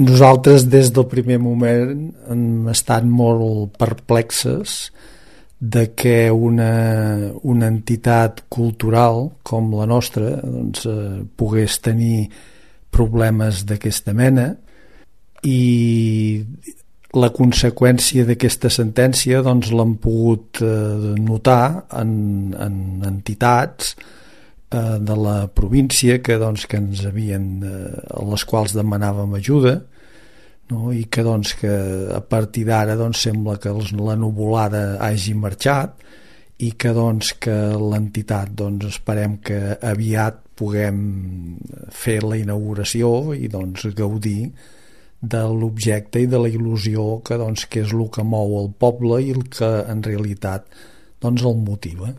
Nosaltres des del primer moment hem estat molt perplexes de que una entitat cultural com la nostra doncs, pogués tenir problemes d'aquesta mena, i la conseqüència d'aquesta sentència doncs, l'hem pogut notar en entitats de la província que ens havien, a les quals demanàvem ajuda, no? I que, que a partir d'ara sembla que la nuvolada hagi marxat i que, que l'entitat esperem que aviat puguem fer la inauguració i gaudir de l'objecte i de la il·lusió que és el que mou el poble i el que en realitat el motiva.